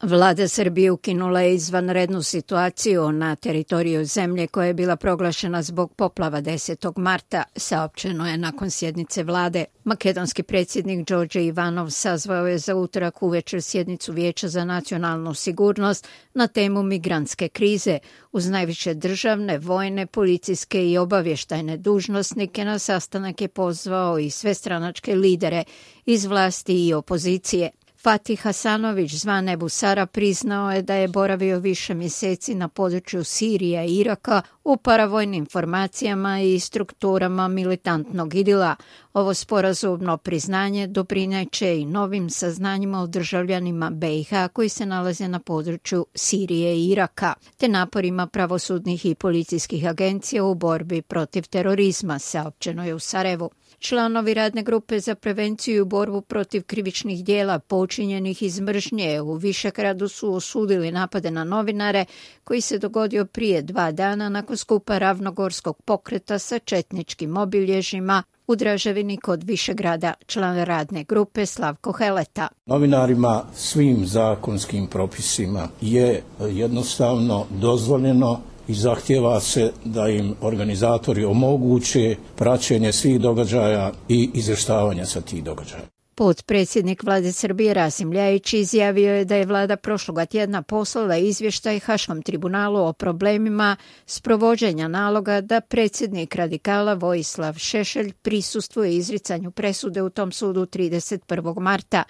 Vlada Srbije ukinula je izvanrednu situaciju na teritoriju zemlje koja je bila proglašena zbog poplava 10. marta, saopćeno je nakon sjednice vlade. Makedonski predsjednik Đorđe Ivanov sazvao je za utorak uvečer sjednicu Vijeća za nacionalnu sigurnost na temu migrantske krize. Uz najviše državne, vojne, policijske i obavještajne dužnosnike na sastanak je pozvao i sve stranačke lidere iz vlasti i opozicije. Fatih Hasanović, zvan Ebu Sara, priznao je da je boravio više mjeseci na području Sirije i Iraka u paravojnim formacijama i strukturama militantnog idila. Ovo sporazumno priznanje doprineće i novim saznanjima o državljanima BiH koji se nalaze na području Sirije i Iraka, te naporima pravosudnih i policijskih agencija u borbi protiv terorizma, saopćeno je u Sarajevu. Članovi radne grupe za prevenciju i borbu protiv krivičnih dijela počinjenih iz mržnje u Višegradu su osudili napade na novinare koji se dogodio prije 2 dana nakon skupa Ravnogorskog pokreta sa četničkim obilježjima u Draževini kod Višegrada, član radne grupe Slavko Heleta. Novinarima svim zakonskim propisima je jednostavno dozvoljeno i zahtjeva se da im organizatori omoguće praćenje svih događaja i izvještavanje sa tih događaja. Potpredsjednik vlade Srbije Rasim Ljajić izjavio je da je vlada prošloga tjedna poslala izvještaj Haškom tribunalu o problemima sprovođenja naloga da predsjednik radikala Vojislav Šešelj prisustvuje izricanju presude u tom sudu 31. marta.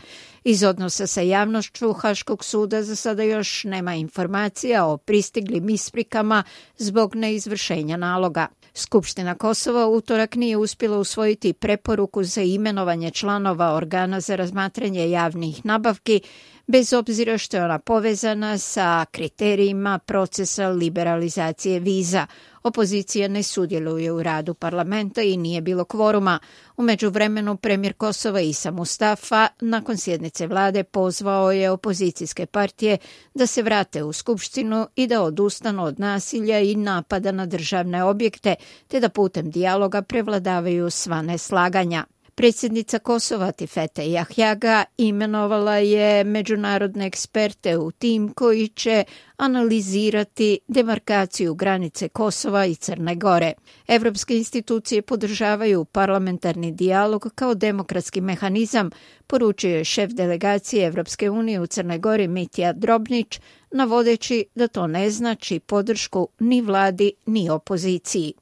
Iz odnosa sa javnošću Haškog suda za sada još nema informacija o pristiglim isprikama zbog neizvršenja naloga. Skupština Kosova utorak nije uspjela usvojiti preporuku za imenovanje članova organa za razmatranje javnih nabavki, bez obzira što je ona povezana sa kriterijima procesa liberalizacije viza. Opozicija ne sudjeluje u radu parlamenta i nije bilo kvoruma. U međuvremenu premijer Kosova Isa Mustafa nakon sjednice vlade pozvao je opozicijske partije da se vrate u skupštinu i da odustanu od nasilja i napada na državne objekte, te da putem dijaloga prevladavaju sva neslaganja. Predsjednica Kosova Tifete Jahjaga imenovala je međunarodne eksperte u tim koji će analizirati demarkaciju granice Kosova i Crne Gore. Evropske institucije podržavaju parlamentarni dijalog kao demokratski mehanizam, poručio je šef delegacije Evropske unije u Crnoj Gori Mitja Drobnić, navodeći da to ne znači podršku ni vladi ni opoziciji.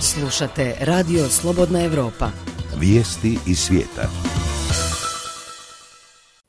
Slušate Radio Slobodna Evropa. Vijesti iz svijeta.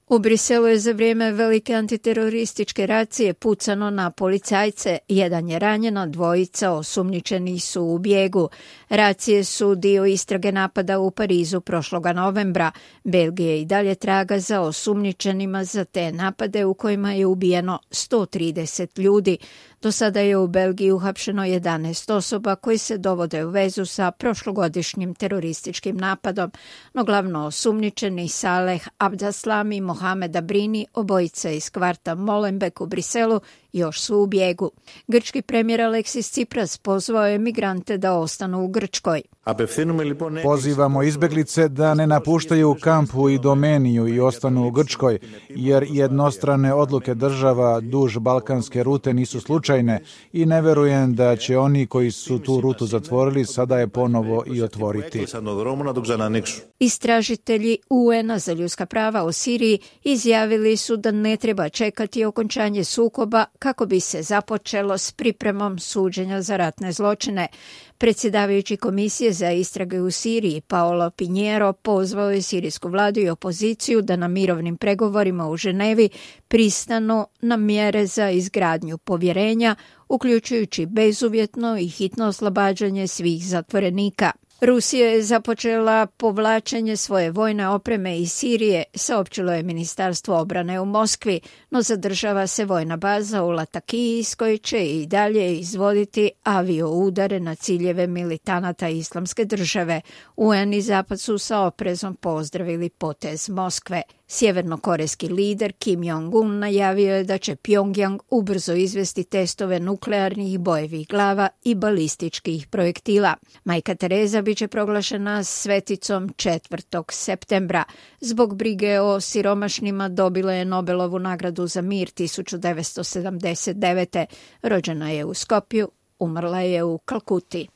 U Briselu je za vrijeme velike antiterorističke racije pucano na policajce. Jedan je ranjen, a 2 osumnjičeni su u bijegu. Racije su dio istrage napada u Parizu prošloga novembra. Belgija i dalje traga za osumnjičenima za te napade u kojima je ubijeno 130 ljudi. Do sada je u Belgiji uhapšeno 11 osoba koji se dovode u vezu sa prošlogodišnjim terorističkim napadom, no glavno osumnjičeni Saleh Abdeslam i Mohamed Abrini, obojica iz kvarta Molenbeek u Briselu, još su u bijegu. Grčki premijer Aleksis Tsipras pozvao je migrante da ostanu u Grčkoj. Pozivamo izbjeglice da ne napuštaju kamp u Idomeniju i ostanu u Grčkoj, jer jednostrane odluke država duž balkanske rute nisu slučajne i ne verujem da će oni koji su tu rutu zatvorili sada je ponovo i otvoriti. Istražitelji UN-a za ljudska prava u Siriji izjavili su da ne treba čekati okončanje sukoba kako bi se započelo s pripremom suđenja za ratne zločine. Predsjedavajući komisije za istrage u Siriji Paolo Pinheiro pozvao je sirijsku vladu i opoziciju da na mirovnim pregovorima u Ženevi pristanu na mjere za izgradnju povjerenja, uključujući bezuvjetno i hitno oslobađanje svih zatvorenika. Rusija je započela povlačenje svoje vojne opreme iz Sirije, saopćilo je Ministarstvo obrane u Moskvi, no zadržava se vojna baza u Latakiji iz koje će i dalje izvoditi avioudare na ciljeve militanata Islamske države. UN i Zapad su sa oprezom pozdravili potez Moskve. Sjevernokorejski lider Kim Jong-un najavio je da će Pjongjang ubrzo izvesti testove nuklearnih bojevih glava i balističkih projektila. Majka Tereza biće proglašena sveticom 4. septembra. Zbog brige o siromašnima dobila je Nobelovu nagradu za mir 1979. Rođena je u Skopju, umrla je u Kalkuti.